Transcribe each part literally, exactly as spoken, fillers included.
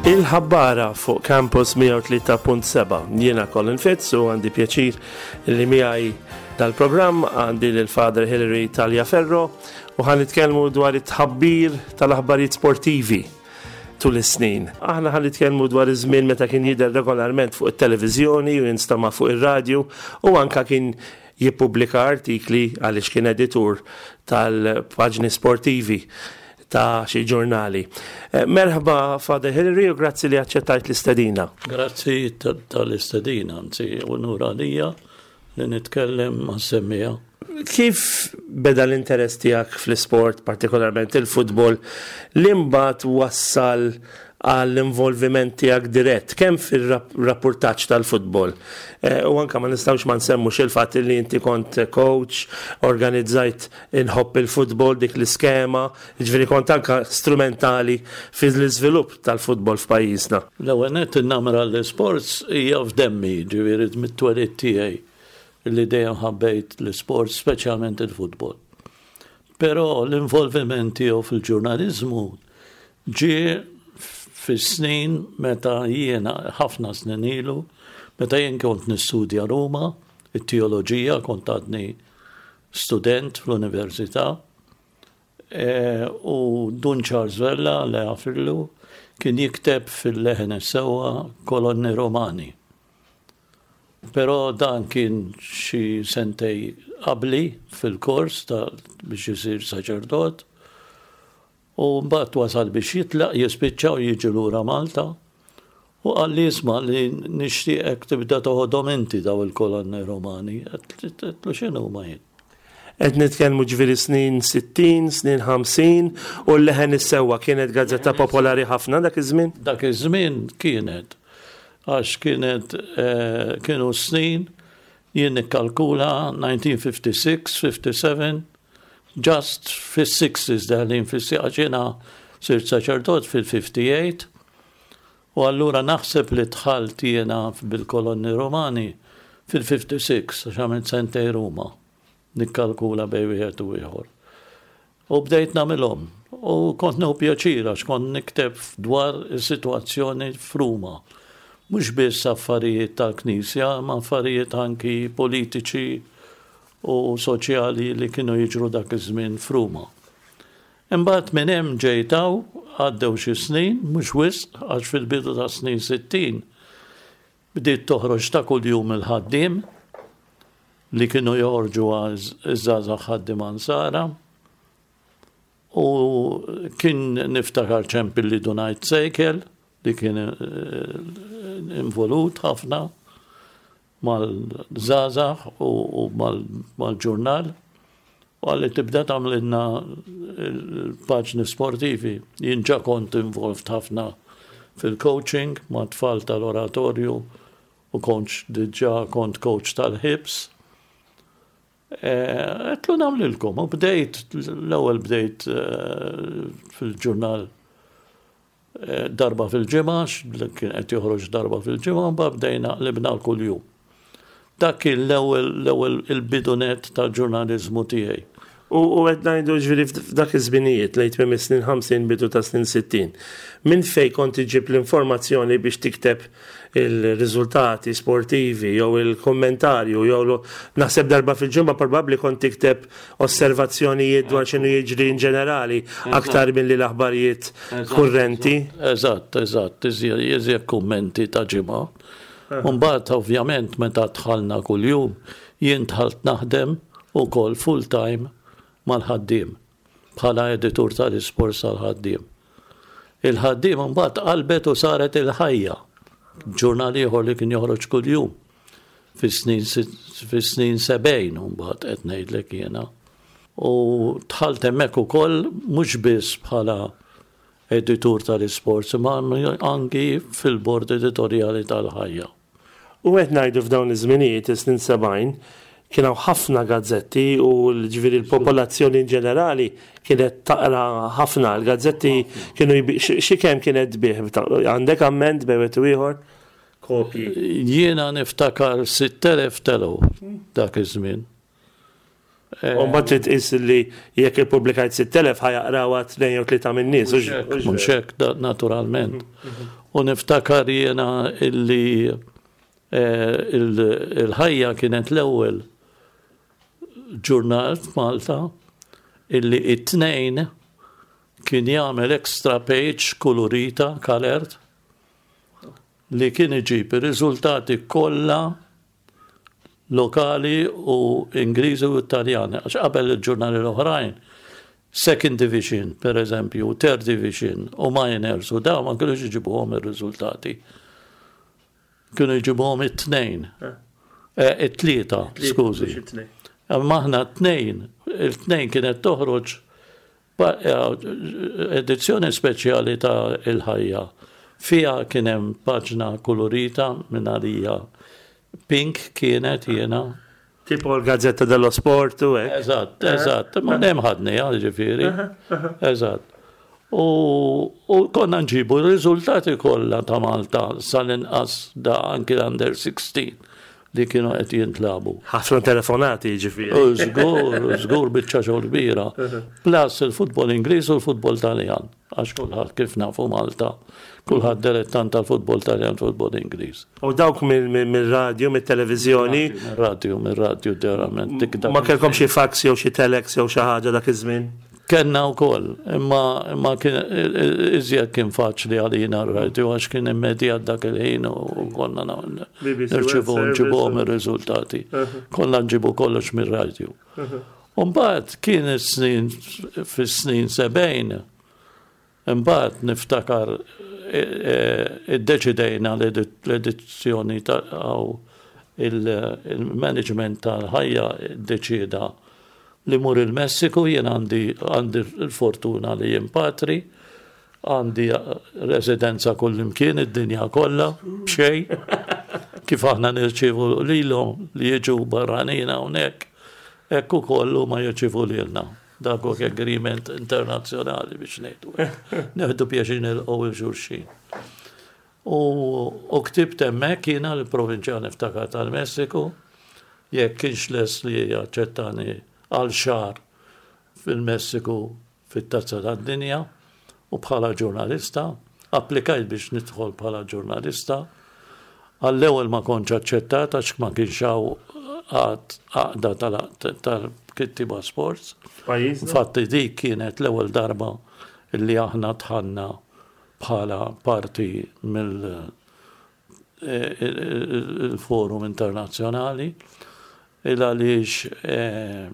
Il-ħabbara fuq Campus mija u tlieta punt seba'. Jiena Colin Fitz u għandi pjaċir li miegħi dal-programm għandi l-Father Hilary Tagliaferro u ħa nitkellmu dwar it-tħabbir tal-aħbarijiet sportivi tul is-snin. Aħna ħa nitkellmu dwar iż-żmien meta kien jidher regolarment fuq it-televiżjoni u jinstama' fuq ir-radju u anka kien jippubblika artikli għaliex kien editur tal-paġni sportivi ta' xi ġurnali. Eh, Merħba, Father Hilary, u grazzi li aċċettajt l-istedina. Grazzi tal-istedina, anzi, unur għalija li nitkellem mas-semmiegħa. Kif beda l-interess tiegħek fl-isport, partikolarment il-futbol, li mbagħad wassal għall-involviment tiegħek dirett kemm fil-rapportaġġ tal-futbol eh, u anka ma nistgħux ma nsemmux il-fatt li inti kont coach, organizzajt Inħobb il-Futbol, dik l-iskema, ġifieri kont anka strumentali fil-iżvilupp tal-futbol f'pajjiżna. L-ewwel nett, in-namra l-sports hija f'demmi, ġifieri mit-twelid tiegħi li dejjem ħabbejt l-sports, speċjalment il-futbol. Però l-involviment tiegħu fil-ġurnaliżmu ġie fis-snin meta jiena, ħafna snin ilu, meta jien kont nistudja Ruma, it-teoloġija, kont għadni student fl-università, e, u Dun Charles Vella, Alla jaħfirlu, kien jikteb fil-Leħen is-Sewwa kolonni Romani. Però dan kien xi sentejn qabli fil-kors ta' biex jisir saċerdot. U mbagħad wasal biex jitlaq, jispiċċa u jiġi lura Malta. U qalli, "Isma', li nixtieqek tibda toħodhom inti daw il-kolonni Romani." Għedtlu, "X'inhuma jien?" Qed nitkellmu ġifieri snin sittin, snin ħamsin, u l-Leħen is-Sewwa kienet gazzetta popolari ħafna dak iż-żmien? Dak iż-żmien kienet, għax kienet eh, kienu snin, jien nikkalkula elf disa' mija u ħamsa u sittin, ħamsa u sebgħin, just fis-sixties, deħlin fis, għax jiena sirt saċerdot fil-tmienja u ħamsin u allura naħseb li dħalt jiena bil-kolonni Romani fil-sitta u ħamsin, għax għamilt sentejn Ruma, nikkalkula bejn wieħed u ieħor. U bdejt nagħmilhom. U kont nieħu pjaċir għax kont nikteb dwar is-sitwazzjoni f'Ruma. Mhux biss affarijiet tal-Knisja, ma affarijiet anki politiċi u soċjali li kienu jiġru dak iż-żmien f'Ruma. Imbagħad minn hemm ġejt hawn, għaddew xi snin, mhux wisq, għax fil-bidu ta' snin sittin bdiet toħroġ ta' kuljum Il-Ħaddiem, li kienu joħorġu iż-żgħażagħ ħaddiema Nsara. U kien niftakar ċempilli Dun Sejkel, li kien eh, involut ħafna mal-żgħażagħ u mal-ġurnal. U qalli, "Tibda tagħmlilna l-paġni sportivi." Jien ġa kont involved ħafna fil-coaching ma' tfal tal-oratorju u kont diġa kont coach tal-Hibs. Għedtlu, "Nagħmlilkom," u bdejt, l-ewwel bdejt eh, fil-ġurnal eh, darba fil-ġimgħa, kien qed joħroġ darba fil-ġimgħa, mbagħad bdejna qlibna kuljum. Dak kien l-ewwel l-ewwel il-bidu nett tal-ġurnaliżmu tiegħi. U qed ngħidu ġifieri f'dak iż-żminijiet, lejn tmiem is-snin ħamsin, bidu ta' snin sittin. Minn fej kont iġib l-informazzjoni biex tikteb il-riżultati sportivi jew il-kommentarju jew, naħseb, darba fil-ġimgħa probabbli kont tikteb osservazzjonijiet dwar x'inhu jiġri in ġenerali aktar milli l-aħbarijiet kurrenti? Eżatt, eżatt, iżjed kummenti ta' ġimgħa. Mbagħad ovvjament meta dħalna kuljum, jien dħalt naħdem ukoll full time mal-Ħaddiem bħala editur tal-isport tal-Ħaddiem. Il-Ħaddiem mbagħad qalbet u saret Il-Ħajja, ġurnal ieħor li kien joħroġ kuljum fis-snin fis-snin sebgħin mbagħad qed ngħidlek jiena. U dħalt hemmhekk ukoll mhux biss bħala editur tal-isports, imma anki fil-bord editorjali tal-Ħajja. U qed ngħidu f'dawn iż-żminijiet, is-snin sebgħin, kien hawn ħafna gazzetti u ġifieri l-popolazzjoni in ġenerali kienet taqra ħafna. L-gazzetti kienu, xi kemm kienet tbigħ? Għandek amment bejn wieħed u ieħor? Kopji. Jiena niftakar sitt elef telgħu dak iż-żmien. U mbagħad trid tqis li jekk ippubblikajt sitt elef, ħa jaqrawha tnejn jew tlieta min-nies. Mhux hekk, naturalment. U niftakar jiena illi eh, il-Ħajja kienet l-ewwel ġurnal f'Malta illi it-Tnejn kien jagħmel extra page kulurita, colored, li kien iġib ir-riżultati kollha lokali u Ingliżi u Italjani. Għax qabel il-ġurnali l-oħrajn, second division, per eżempju, third division u minors u daw ma kienux iġibuhom ir-riżultati. Kienu jġibuhom it-Tnejn. Eh, it-Tlieta, skużi. Imma aħna t-Tnejn, it-Tnejn kienet toħroġ eh, edizzjoni speċjali ta' Il-Ħajja. Fija kien hemm paġna kolorita minn għalija. Pink kienet jiena. Tipo l-Gazzetta dello Sport u hekk. Eżatt, eżatt. Ma nem ħadni, ġifieri. Eżatt. U, u konna nġibu r-riżultati kollha ta' Malta sal-inqas da anki l-under sixteen li kienu qed jintlagħbu. Ħafna telefonati, ġifieri. U żgur, żgur, biċċa xogħol kbira. Plus il-futbol Ingliż u l-futbol Taljan. Għax kulħadd, kif nafu Malta, kulħadd dilettant tal-futbol Taljan, futbol Ingliż. U dawk mill-radio, mill-televiżjoni? Mir-radio, mir-radio verament. Dik dak Ma kellkom xi fax jew xi telex jew xi ħaġa dak iż-żmien? Kenna wkoll, imma imma kien iżjed kien faċli għalina r-radio għax kien immedjat dak il-ħin u konna na- B B C nirċivu World nġibuhom Service. Ir-riżultati. Konna nġibu kollox mir-radio. Umbagħad kien is-snin fis-snin sebgħin, imbagħad niftakar e, e, iddeċidejna l-edizzjoni ta' għaw il-management tal-Ħajja iddeċida li mur il-Messiku. Jien għandi għandi l-fortuna li jien patri, għandi residenza kullimkien id-dinja kollha, b'xejn, kif aħna nirċivu lilhom li jiġu barranin hawnhekk, hekk ukoll huma jirċivu lilna. Dak hu agreement internazzjonali biex ngħidu hekk. Nieħdu pjaċir nilqgħu 'l xulxin. U, u ktibt hemmhekk jiena l-provinċjal niftakar tal-Messiku, jekk kienx les li jaċċettani għal xahar fil-Messiku fit-Tazza tad-Dinja u bħala ġurnalista, applikajt biex nidħol bħala ġurnalista. Għall-ewwel ma kontx aċċettat għax ma kienx hawn għad għaqda tal-kittiba sports. Pajjiżna? Infatti dik kienet l-ewwel darba li aħna dħalna bħala parti mill eh, il-forum internazzjonali, il għaliex eh,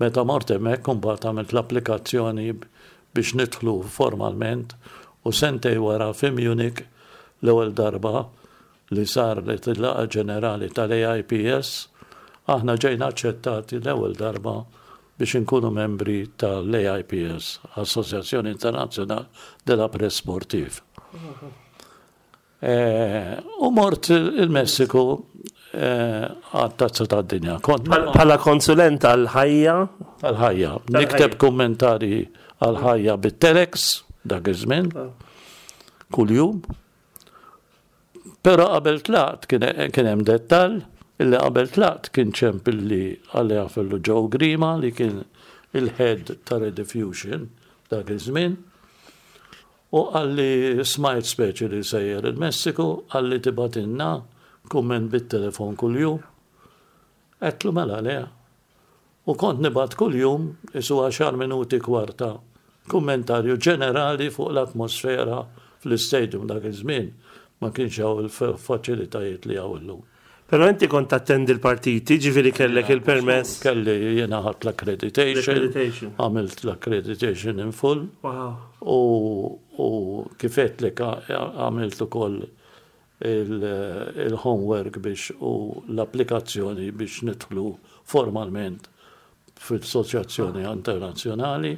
meta mort hemmhekk imbagħad għamilt l-applikazzjoni biex nidħlu formalment u sentejn wara fi Munich, l-ewwel darba li saret il-laqgħa ġenerali tal-A I P S, aħna ġejna aċċettati l-ewwel darba biex inkunu membri tal-A I P S, Associazione Internazionale della Presse Sportive. Eh, u mort il-Messiku eh, għat-Tazza tad-Dinja. Kont Bħala konsulent għal-Ħajja? Għal-Ħajja. Nikteb kommentari għal-Ħajja bit-telex dak iż-żmien, kuljum. Però qabel tlaqt kien kien hemm dettall illi qabel tlaqt kien ċempilli għalli għafillu Joe Grima li kien il-head ta' Rediffusion dak iż-żmien. U qalli, smajt speċi li sejjer il-Messiku, qalli tibgħatilna kumment bit-telefon kuljum. Għedtlu mela le. U kont nibgħat kuljum isu għaxar minuti, kwarta, kummentarju ġenerali fuq l-atmosfera fl-istadium. Dak iż-żmien ma kienx hawn il-faċilitajiet li hawn illum. Però inti kont attendi l-partiti, ġifieri kellek il-permess. Kelli, jiena ħadt l-accreditation, L-accreditation. għamilt l-accreditation in full Wow. u, u kif għedtlek għamilt ukoll il-homework biex u l-applikazzjoni biex nidħlu formalment fil-Assoċjazzjoni Internazzjonali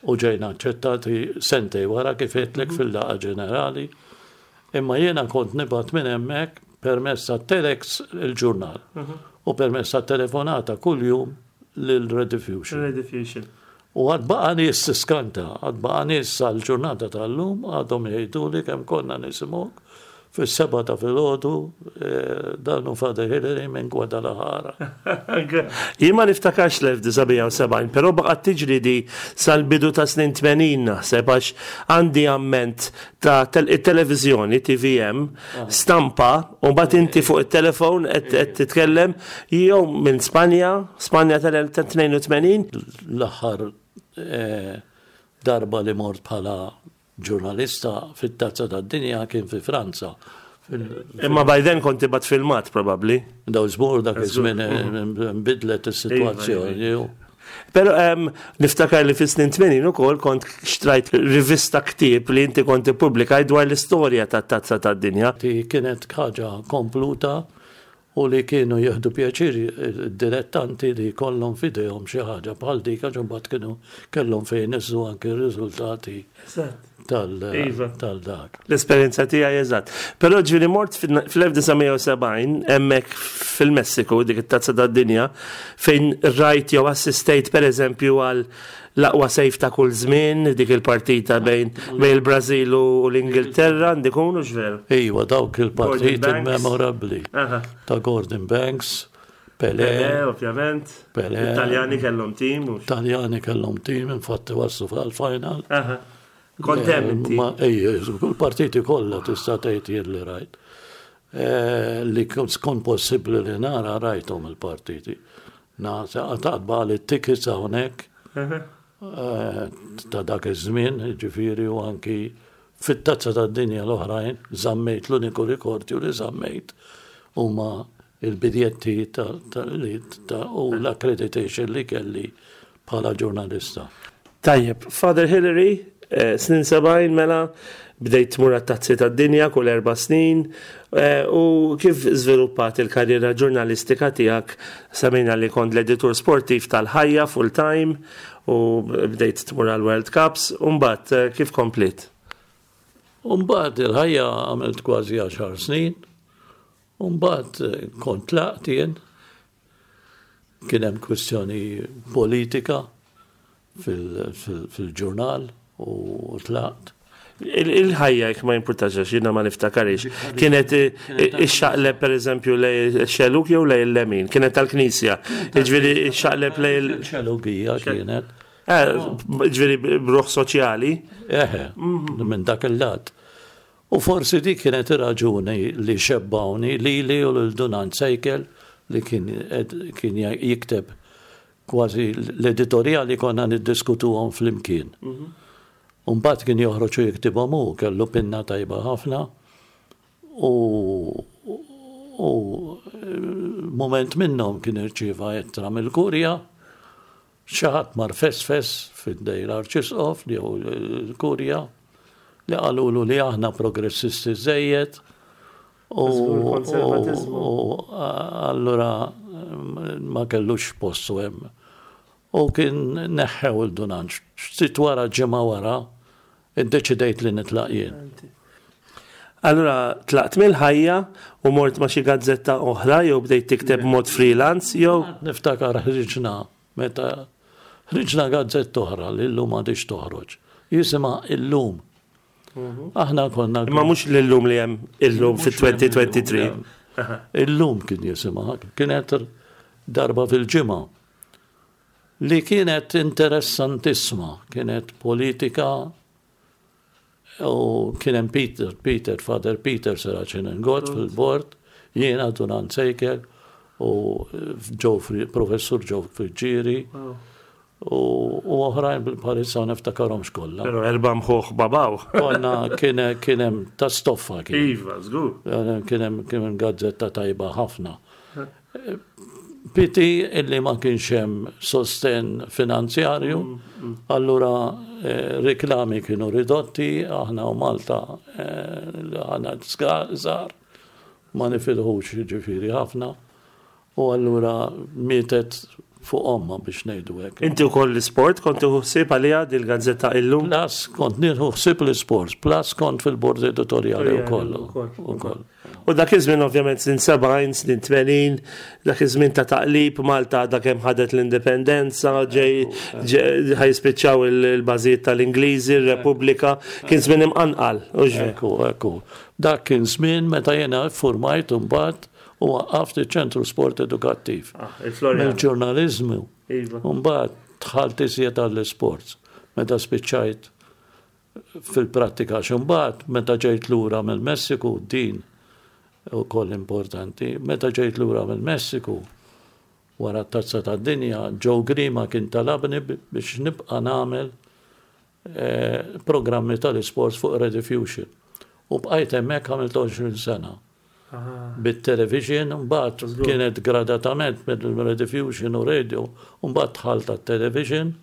u ġejna aċċettati sentejn wara, kif għedtlek, fil-laqgħa ġenerali. Imma jiena kont nibgħat minn hemmhekk permezz ta' telex il-ġurnal u permezz ta' telefonata kuljum lil Rediffusion. Rediffusion. U għad baqa nies tiskanta, għad baqa nies sal-ġurnata tal-lum għadhom jgħidu li kemm konna nisimgħuk Fis-sebgħa ta' filgħodu, eh, dan hu Father Hillary minn Guadalajara. Jien ma niftakarx l-elf disa' mija u sebgħin, però baqgħet tiġri di sal-bidu ta' snin tmenin naħseb, għax għandi amment ta' tel- televiżjoni T V M, stampa, u mbagħad inti fuq it-telefon qed qed titkellem jew minn Spanja, Spanja tal-tnejn u tmenin. L-aħħar eh, darba li mort bħala ġurnalista fit-Tazza tad-Dinja kien fi Franza. Fil- Imma by then kont tibgħat filmat probabbli. Daw żmur dak iż-żmien eh, nbidlet is-sitwazzjoni. Pero um, niftakar li fis-snin tmenin ukoll kont xtrajt rivista, ktieb li inti kont ippubblikaj dwar l-istorja tat-Tazza tad-Dinja. Ti kienet ħaġa kompluta u li kienu jieħdu pjaċir dilettanti li kollhom f'idejhom xi ħaġa bħal dik, għax imbagħad kienu kellhom fejn niżżu anke r-riżultati tal Iva. tal-dak. L-esperjenza tiegħi, eżatt. Però ġieli mort fl-elf disa' mija u sebgħin hemmhekk fil-Messiku, dik it-Tazza tad-Dinja, fejn rajt jew assistejt pereżempju għal l-aqwa save ta' kull żmien, dik il-partita bejn bejn il-Brażil u l-Ingilterra, ndikunu x'veru. Iva, dawk il-partiti Gordon Banks. memorabbli Aha. ta' Gordon Banks, Pelé, Pelé, ovvjament. Pelé. Italjani kellhom tim. u- Taljani kellhom tim, infatti waslu fil-final. Aha. Kont hemm inti. Ma ejja, kull partiti kollha tista' tgħid jien li rajt. Eh, Li kont possibbli li nara, rajthom il-partiti. Na, taqba li t-tickets hawnhekk Aha. eh, ta' dak iż-żmien, ġifieri, u anki fit-Tazza tad-Dinja l-oħrajn żammejt, l-uniku rikordju li żammejt huma il-biljetti ta' ta' li ta' u l-accreditation li kelli bħala ġurnalista. Tajjeb, Father Hillary, eh, snin sebgħin mela, bdejt tmur għat-Tazzi tad-Dinja kull erba' snin, eh, u kif żviluppat il-karriera ġurnalistika tiegħek? Semmejna li kont l-editur sportiv tal-Ħajja full time u bdejt tmur għal World Cups, u mbagħad eh, kif komplit? Umbagħad il-Ħajja għamilt kważi għaxar snin, umbagħad eh, kont tlaqt jien, kien hemm kwistjoni politika fil- fil- fil-ġurnal u tlaqt. Il- Il-Ħajja, jekk ma jimpurtax għax jiena ma niftakarix, kienet eh, ixxaqleb per eżempju lejn ix-xellug jew lejn il-lemin, kienet tal-Knisja, ġifieri ixxaqleb lejn il- Xellugija kienet. Eh, ġifieri b'ruħ soċjali. Eħe, minn dak il-lat. U forsi dik kienet ir-raġuni li xebbawni li li u lil Dun Anġ Sejkel li kien ed- kien jikteb kważi l-editoriali, konna niddiskutuhom flimkien. Umbagħad kien joħroġ u jiktibhom hu, kellu pinna tajba ħafna u u moment minnhom kien irċieva ittra mill-Kurja, xi ħadd mar fesfes f'idejn l-Arċisqof jew l-Kurja li qalulu li aħna progressisti żejjed u Żgur konservatizmu. u allura ma kellux postu hemm. U kien neħħew lil Dun Anġ. Ftit wara, ġimgħa wara, iddeċidejt li nitlaq jien. Allura tlaqt mill-Ħajja u mort ma' xi gazzetta oħra jew bdejt tikteb mod freelance jew Niftakar ħriġna, meta ħriġna gazzetta oħra li llum m'għadhiex toħroġ. Jisimha Illum. Aħna konna Imma mhux l-Illum li hemm illum fit-elfejn u tlieta u għoxrin. Illum kien jisimha, kienet darba fil-ġimgħa. Li kienet interessantissima, kienet politika u kien hemm Peter, Peter, Father Peter Serracin Inglott fil-bord, jiena, Dun Anġ Sejkel u Joe Fri- Professur Joe Friggieri u u oħrajn bil-parissa niftakarhomx kollha. Però erba' mħuħ babaw. Konna kien kien hemm ta' stoffa kien. Iva, żgur. Kien hemm kien hemm gazzetta tajba ħafna. Pity illi ma kienx hemm sosten finanzjarju, allura eh, reklami kienu ridotti, aħna u Malta eh, aħna żgħar, ma nifilħux ġifieri ħafna, u allura mietet fuq omma, biex ngħidu hekk. Inti wkoll l-isport kont tieħu ħsieb għaliha dil-gazzetta Illum? Plus kont nieħu ħsieb l-sports, plus kont fil-bord editorjali Editorjali wkoll. ukoll, Ukoll. U dak iż-żmien, ovvjament, snin sebgħin, snin tmenin, dak iż-żmien ta' taqlib, Malta dak hemm ħadet l-indipendenza, ġej ħa jispiċċaw il-bażijiet tal-Ingliżi, ir-Repubblika, kien żmien imqanqal. Ekku, ekku. Dak kien żmien meta jiena formajt mbagħad u waqqaft iċ-Ċentru Sport Edukattiv. Ah, il-Floriana. Mill-ġurnaliżmu. Iva. Mbagħad dħalt iżjed għall-sports. Meta spiċċajt fil-prattika, x'imbagħad meta ġejt lura mill-Messiku, din ukoll importanti, meta ġejt lura mill-Messiku wara t-Tazza tad-Dinja, Joe Grima kien talabni biex nibqa' nagħmel eh, programmi tal-sports fuq Rediffusion. U bqajt hemmhekk, għamilt għoxrin sena. Bit-television, mbagħad kienet gradatament mill-Rediffusion u radio, mbagħad dħalt tat-television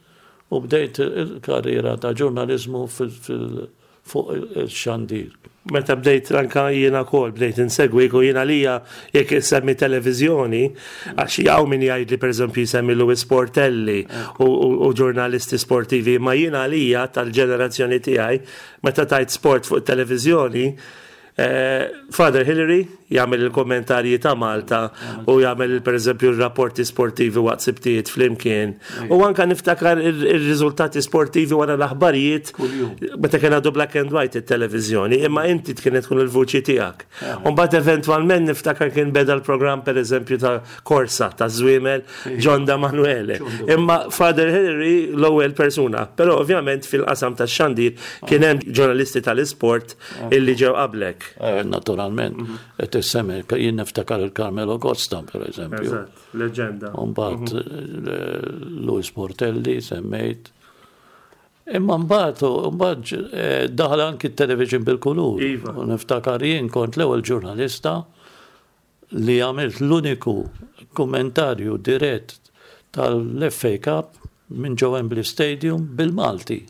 u bdejt il-karriera ta' ġurnalizmu fuq il-xandir. Meta bdejt anka jiena kol, bdejt insegwik u jiena lija jekk semmi televizjoni, għax hawn min jgħid li, per eżempju, jsemmi Louis Portelli u, u, u ġurnalisti sportivi, ma jiena lija tal-ġenerazzjoni tiegħi, meta tajt sport fuq televizjoni, eh, Father Hillary jagħmel il-kommentarji ta' Malta u jagħmel, per eżempju, il-rapporti sportivi waqt Sibtijiet Flimkien. U anka niftakar il-riżultati sportivi wara l-aħbarijiet meta kien għadu black and white it-televiżjoni, imma inti kienet tkun il-vuċi tiegħek. U mbagħad eventwalment niftakar kien beda l-programm, per eżempju, ta' Korsa ta' Żwiemel, John Demanuele. Imma Father Hillary l-ewwel persuna, però ovvjament fil-qasam tax-xandir kien hemm ġurnalisti tal-isport illi ġew qablek. Eh, naturalment, qed issemmi, jien niftakar il-Carmelo Costa, per eżempju. Eżatt, leġenda. Mbagħad eh, Louis Portelli semmejt. Imma mbagħad mbagħad eh, daħal anki t-television bil-kulur. Iva. U niftakar jien kont l-ewwel ġurnalista li għamilt l-uniku kommentarju dirett tal-F A Cup minn ġo Wembley Stadium bil-Malti.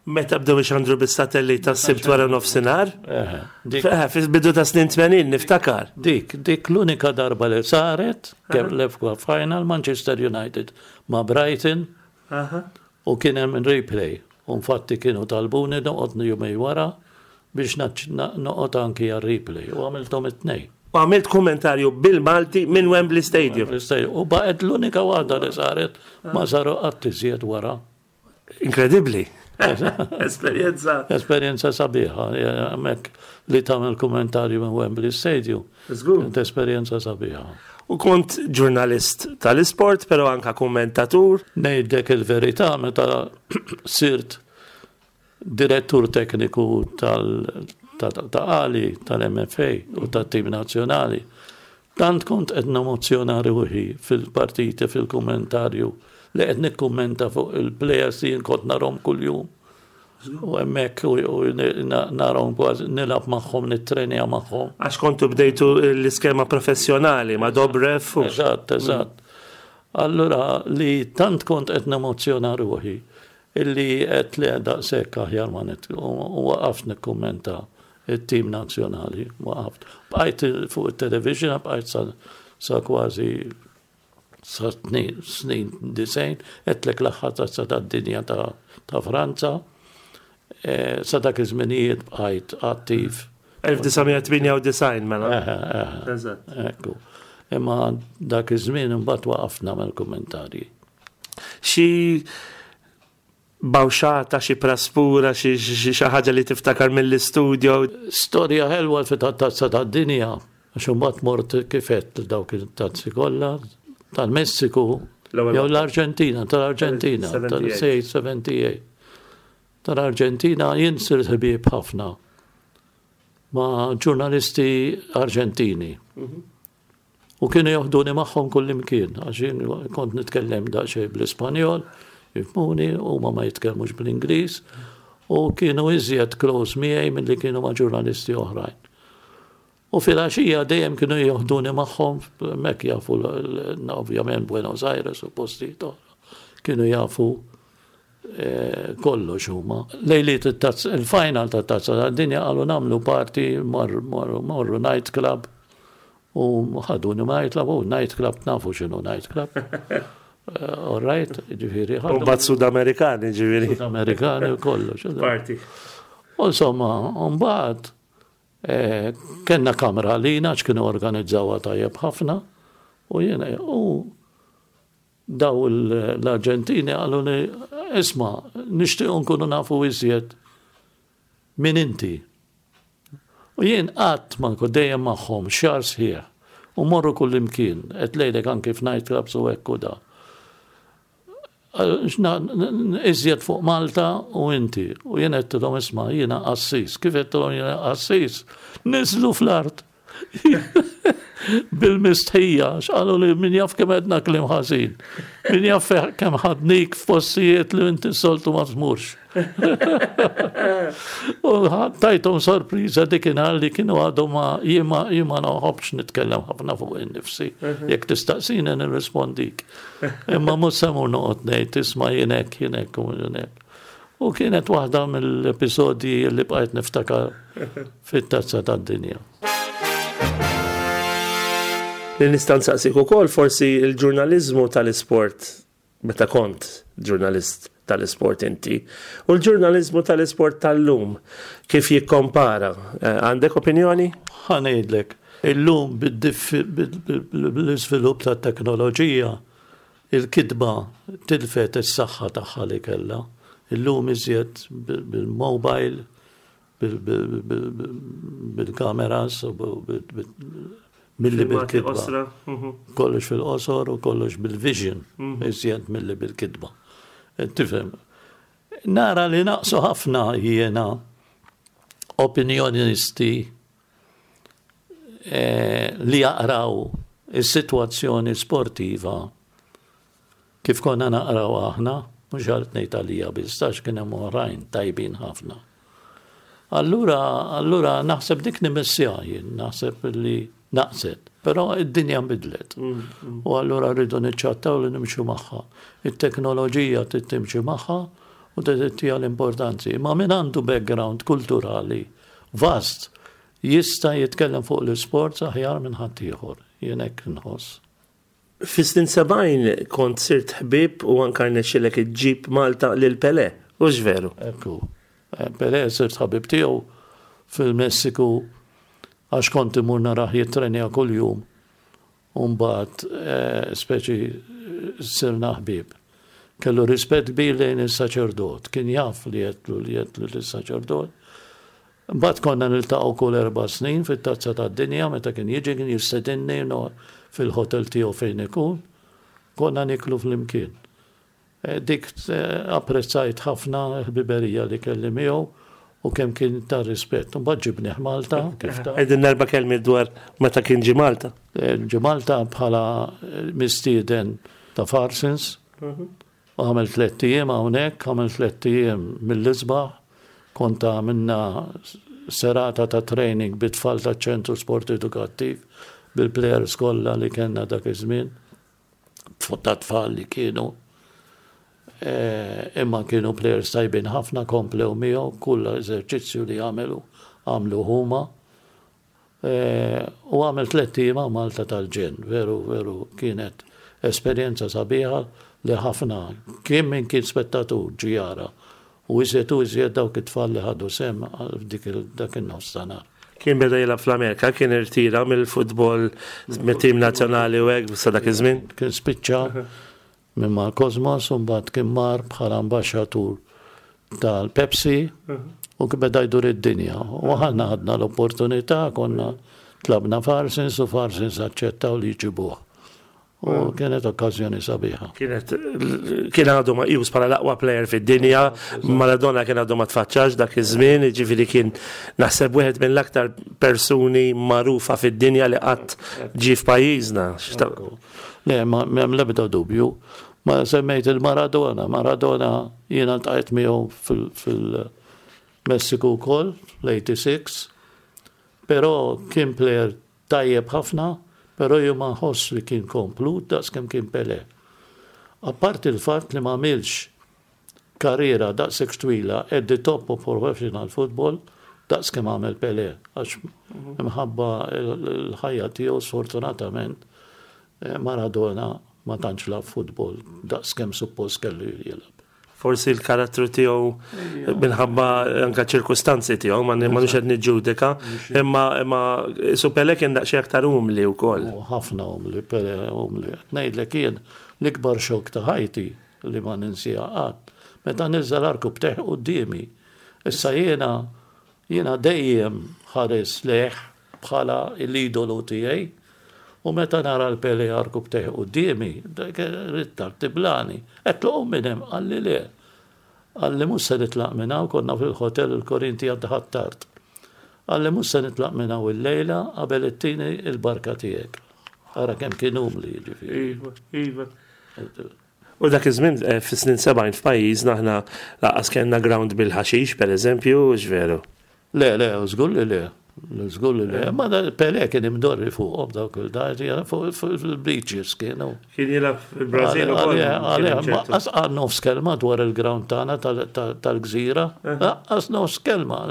Meta bdew ixandru bis-satellit tas-Sibt wara nofsinhar? Eħe, dik, Eh, Fil-bidu ta' snin tmenin niftakar. dik, dik l-unika darba li saret, kemm l-F A Final, Manchester United ma' Brighton, u kien hemm replay. U infatti kienu talbuni noqgħod jumejn wara biex naċ- na- noqgħod anki għal replay u għamilthom it-tnejn. U għamilt kommentarju bil-Malti minn Wembley Stadium. U baqgħet l-unika waħda li saret, ma saru qatt iżjed wara. Inkredibbli. Esperjenza. Esperjenza sabiħa, hemmhekk li tagħmel kummentarju minn Wembley Stadium. Żgur. Kienet esperjenza sabiħa. U kont ġurnalist tal-isport, pero anka kommentatur. Ngħidlek il-verità, meta sirt direttur tekniku tal ta' ta' Ali, tal-M F A u tat-tim nazzjonali, tant kont qed nemozzjona ruħi fil-partiti, fil-kommentarju, li qed nikkummenta fuq il-players li jien kont narhom kuljum. U hemmhekk u u na- narhom kważi nilgħab magħhom, nittrenja magħhom. Għax kontu bdejtu l-iskema professjonali ma' Dobrev. u- Eżatt, eżatt. Allura li tant kont qed nemozzjona ruħi illi qed li daqshekk aħjar ma nit u u waqaft nikkummenta it-tim nazzjonali, waqaft. Bqajt fuq it-television, bqajt sa, sa kważi sa snin, snin disgħin, għedtlek l-aħħar Tazza tad-Dinja ta', ta' Franza. E, sa dak iż-żminijiet bqajt attiv. elf disa' mija tmienja u disgħin mela. Eħe, eħe. Eżatt. Ekku. Imma dak iż-żmien imbagħad waqafna mill-kummentarji. Xi bawxata, xi praspura, xi xi xi ħaġa li tiftakar mill-istudio? Storja ħelwa fi tat-Tazza tad-Dinja, għax imbagħad mort kifet dawk it-tazzi kollha tal-Messiku L-ewwel jew l-Arġentina, tal-Arġentina, sebgħa u sebgħin. tal-sebgħa u sebgħin. Tal-Arġentina jien sirt ħbieb ħafna ma' ġurnalisti Arġentini. U kienu joħduni magħhom kull imkien, għax jien kont nitkellem daqsxejn bl-Ispanjol, jifhmuni, u ma ma jitkellmux bl-Ingliż, u kienu iżjed close miegħi milli kienu ma' ġurnalisti oħrajn. U fil-għaxija dejjem kienu joħduni magħhom, mek jafu l- l- ovvjament Buenos Aires u postijiet oħra. Kienu jafu eh, kollox huma. Lejliet it-tazz- il-final ta' Tazza tad-Dinja qalu nagħmlu party, morru morru night club u ħaduni night club, u night club nafu x'inhu night club. Eh, All right, ġifieri. U mbagħad Sud Amerikani, ġifieri. Amerikani u kollox. Party. U insomma, mbagħad Eh, kellna kamra għalina, kienu organizzawha tajjeb ħafna, u jiena, u daw l-Arġentini qalu li, "Isma', nixtiequ nkunu nafu iżjed min inti." U jien qatt ma nkun dejjem magħhom xahar sħiħ u morru kull imkien, qed ngħidlek anke f'night clubs u hekk u da. Iżjed fuq Malta u inti. U jien għedtilhom, "Isma', jiena qassis." Kif għedtilhom jiena qassis, niżlu fl-art bil-mistħija, x'qalu li min jaf kemm għedna kliem ħażin. Min jaf kemm ħadnik f'postijiet li inti soltu ma tmurx. U tajthom sorpriża dikinhar li kienu għadhom ma jien ma nħobbx nitkellem ħafna fuq innifsi. Mhm. Jekk tistaqsini nirrispondik. Imma mhux se mmur noqgħod ngħid, "Isma', jien hekk, jien hekk u jien hekk." U kienet waħda mill-episodji li bqajt niftakar fit-Tazza tad-Dinja. Li nista' nsaqsik ukoll forsi il-ġurnaliżmu tal-isport meta kont ġurnalist tal-isport inti u l-ġurnaliżmu tal-isport tal-lum kif jikkompara. Eh, għandek opinjoni? Ħa ngħidlek, illum bil-iżvilupp tat-teknoloġija il-kitba tilfet is-saħħa tagħha li kellha. Illum iżjed bil-mobile, bil-kameras, milli bil-kitba. Mhm. Kollox fil-qosor u kollox bil-vision, mhm. iżjed milli bil-kitba. Eh, tifhem, nara li naqsu ħafna jiena opinjonisti eh, li jaqraw is-sitwazzjoni sportiva kif konna naqraw aħna, mhux għalt ngħid għalija biss, għax kien hemm oħrajn tajbin ħafna. Allura, allura naħseb dik nimissja jien, naħseb li naqset. Però id-dinja nbidlet. Mm, mm. U allura rridu niċċattaw li nimxu magħha. It-teknoloġija trid timxi magħha u tagħtiha l-importanzi. Ma min għandu background kulturali vast jista' jitkellem fuq l-isport aħjar minn ħaddieħor. Jien hekk nħoss. Fis-snin sebgħin kont sirt ħbib u anka rnexxilek iġġib Malta lil Pele, hux veru? Ekku. Eh, Pele sirt ħabib tiegħu fil-Messiku għax kont imur narah jittrenja kull-jum. U mbagħad eh, speċi sirna ħbib. Kellu rispett kbir lejn il-saċerdot, kien jaf li għedtlu li għedtlu l-saċerdot. Mbagħad konna niltaqgħu kull erba' snin fit-Tazza tad-Dinja meta kien jiġi, kien jistedinni fil-hotel tiegħu fejn ikun. Konna niklu flimkien. Eh, dik eh, apprezzajt ħafna l-ħbiberija li kelli miegħu u kemm kien ta' rispett. Mbagħad ġibnieh Malta, kif ta' Għidilna erba' kelmiet dwar meta kien ġi Malta. Eh, ġi Malta bħala mistieden ta' Farsons. Mhm. U għamel tlett ijiem hawnhekk, għamel tlett ijiem mill-isbaħ, kont għamilna serata ta' training bit-tfal ta' ċentru sport edukattiv bil-players kollha li kellna dak iż-żmien, ta' tfal li kienu. Eh, imma kienu players tajbin ħafna, komplew miegħu kull eżerċizzju li għamelu għamlu huma. Eh, u għamel tlett ijiem Malta tal-ġenn, veru, veru kienet esperjenza sabiħa li ħafna, kien min kien spettatur ġie jara u iżjed u iżjed dawk it-tfal li ħadu sehem dik dak in-nofs ta' nhar. Kien beda jilgħab fl-Amerika, kien irtira mill-futbol mit-tim nazzjonali u hekk sa dak iż-żmien. Kien spiċċa minn mal Cosmos u mbagħad kien mar bħala ambaxxatur tal-Pepsi u kien beda jdur id-dinja. U aħna ħadna l-opportunità, konna tlabna Farsins u Farsins aċċettaw li jġibuh. U kienet okkażjoni sabiħa. Kienet kien għadu meqjus bħala l-aqwa player fid-dinja, Maradona kien għadu ma tfaċċax dak iż-żmien, ġifieri kien naħseb wieħed mill-aktar persuni magħrufa fid-dinja li qatt ġie f'pajjiżna. Le, ma m'hemm l-ebda dubju. Ma semmejt il-Maradona. Maradona jiena ltqajt miegħu fil-Messiku wkoll, l-eighty-six, però kien player tajjeb ħafna, però jien ma nħoss li kien komplut daqs kemm kien Pele. Apparti il-fatt li ma għamilx karriera daqshekk twila at the top of professional football daqs kemm għamel Pele, għax imħabba l-ħajja tiegħu sfortunatament eh, Maradona ma tantx lagħab futbol daqs kemm suppost kellu jilgħab. Forsi l-karattru tiegħu minħabba anka ċirkustanzi tiegħu, ma ma nix qed niġġudika, imma imma su Pele kien daqsxejn aktar umli wkoll. U ħafna umli, Pele umli. Ngħidlek jien l-ikbar xokk ta' ħajti li ma ninsieha qatt. Meta niżel għarkupptejh quddiemi. Issa jiena jiena dejjem ħares lejh bħala l-idolu tiegħi. U meta nara l-Pele għarkupptejh quddiemi, dak ridt tiblagħni. Għedtlu minn hemm, qalli le. Qalli mhux se nitlaq minn hawn, konna fil-hotel il-Korinti għad Ħ'Attard. Qalli mhux se nitlaq minn hawn il-lejla qabel ittini il-barka tiegħek. Ara kemm kien umli, ġifieri. Iva, iva. U dak iż-żmien eh, fis-snin sebgħin f'pajjiżna aħna lanqas kellna ground bil-ħaxix, pereżempju, veru. Le, le, żgur li le. Żgur li le. Ma da Pele kien imdorri fuqhom dawk il-dati, fuq il-beaches kienu. Kien jilgħab fil-Brażil ukoll. Għalih, lanqas qal nofs kelma dwar il-ground tagħna tal-gżira. Lanqas nofs kelma.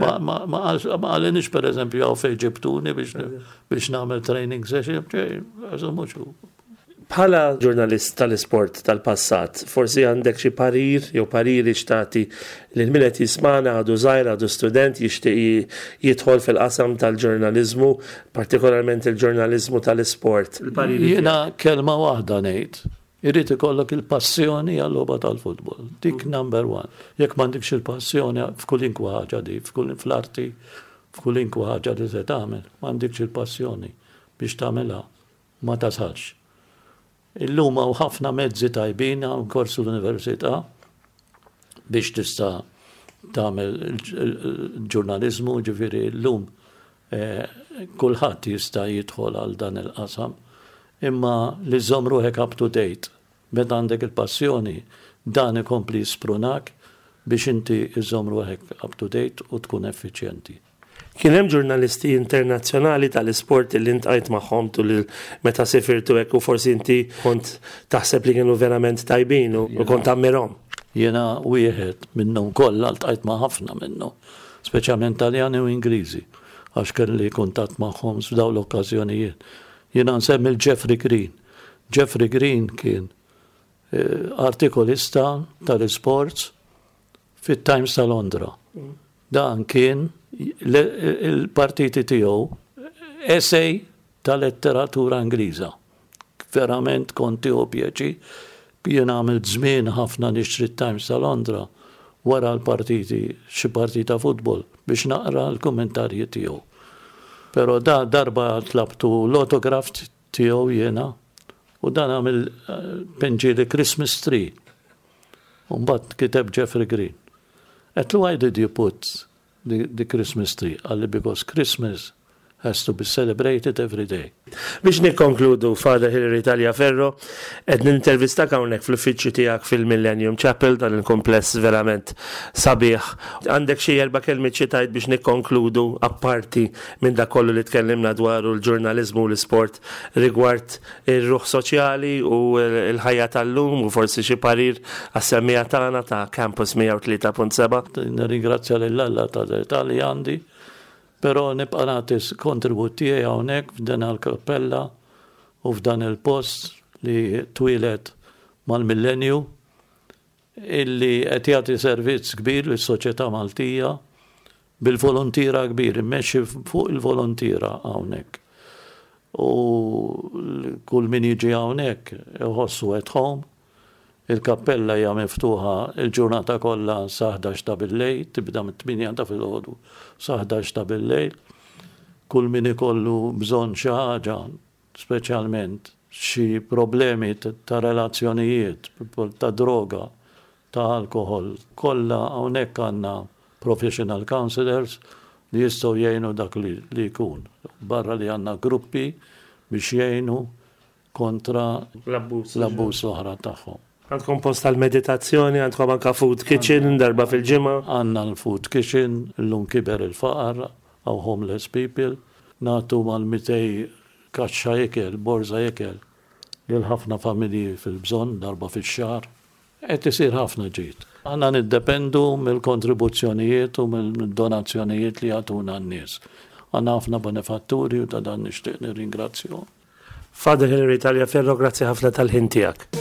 Ma ma qalinix per eżempju hawn fejn ġibtuni biex nagħmel training session, ġej, mhux hu. Bħala ġurnalist tal-isport tal-passat, forsi għandek xi parir jew pariri x'tagħti lil min qed jismana għadu żgħir, għadu student jixtieq jidħol fil-qasam tal-ġurnaliżmu, partikolarment il-ġurnaliżmu tal-isport. Jiena kelma waħda ngħid. Irid ikollok il-passjoni għal-logħba tal-futbol. Dik number one. Jekk m'għandekx il-passjoni f'kulunkwa ħaġa di, f'kull fl-arti, f'kulunkwa ħaġa li se tagħmel, m'għandekx il-passjoni biex tagħmilha, ma tasalx. Illum hawn ħafna mezzi tajbin hawn kors l-università biex tista' tagħmel il-ġurnaliżmu, ġifieri llum eh, kulħadd jista' jidħol għal dan il-qasam. Imma li żżomm ruħek up to date, meta għandek il-passjoni, dan ikompli jisprunak biex inti iżżomm ruħek up to date u tkun effiċjenti. Kien hemm ġurnalisti internazzjonali tal-isport li ltqajt magħhom tul meta sifirtu hekk u forsi inti kont taħseb li kienu verament tajbin u kont tammirhom. Jiena wieħed minnhom kollha ltqajt ma' ħafna minnhom, speċjalment Taljani u Ingliżi, għax kelli kuntatt magħhom f'dawn l-okkażjonijiet. Jiena nsemmi l-Jeffrey Green. Jeffrey Green kien eh, artikolista tal-sports fit-Times ta' Londra. Dan kien il-partiti tiegħu essay ta' letteratura Ingliża. Verament kont tieħu pjaċir. Jien għamilt żmien ħafna nixtri Times ta' Londra wara l-partiti, xi partita futbol biex naqra l-kommentarji tiegħu. Però da darba tlabtu l-autograf tiegħu jiena u dan għamel eh, pinġieli Christmas tree. U mbagħad kiteb Jeffrey Green. Għedtlu why did you put the, the Christmas tree? Qalli because Christmas has to be celebrated every day. Biex nikkonkludu, Father Hilary Tagliaferro, qed nintervistak hawnhekk fl-uffiċċju tiegħek fil-Millennium Chapel, dan il-kompless verament sabiħ. Għandek xi erba' kelmiet xi tgħid biex nikkonkludu apparti minn dak kollu li tkellimna dwaru l-ġurnaliżmu u l-isport rigward ir-ruħ soċjali u l-ħajja tal-lum u forsi xi parir għas-semmiegħa tagħna ta' Campus mija u tlieta punt seba'. Nirringrazzja lil Alla ta' li għandi, però nibqa' nagħti kontribut tiegħi hawnhekk f'dan il-kappella u f'dan il-post li twieled mal-millenju illi qed jagħti servizz kbir lis-soċjetà Maltija bil-volontira kbir, immexxi fuq il-volontira hawnhekk. U kull min jiġi hawnhekk iħossu at home. Il-kappella hija miftuħa il-ġurnata kollha sa ħdax ta' billejl, tibda mit-tmienja ta' filgħodu sa ħdax ta' billejl. Kull min ikollu bżonn xi ħaġa, speċjalment xi problemi ta' relazzjonijiet, ta' droga, ta' alkohol, kollha hawnhekk għandna professional counselors li jistgħu jgħinu dak li, li jkun. Barra li għandna gruppi biex jgħinu kontra l-abbuż l-abbuż l-oħra tagħhom. Għandkom post tal-meditazzjoni, għandkom anka food kitchen darba fil-ġimgħa. Għandna l-food kitchen, l-lum kiber il-faqar, hawn homeless people, nagħtu mal-mitejn kaxxa ikel, borza ikel, lil ħafna familji fil-bżonn darba fix-xahar. Qed isir ħafna ġid. Għandna niddependu mill-kontribuzzjonijiet u mill-donazzjonijiet li jagħtuna n-nies. Għandna ħafna benefatturi u ta' dan nixtieq nirringrazzjahom. Father Hilary Tagliaferro, grazzi ħafna tal-ħin tiegħek.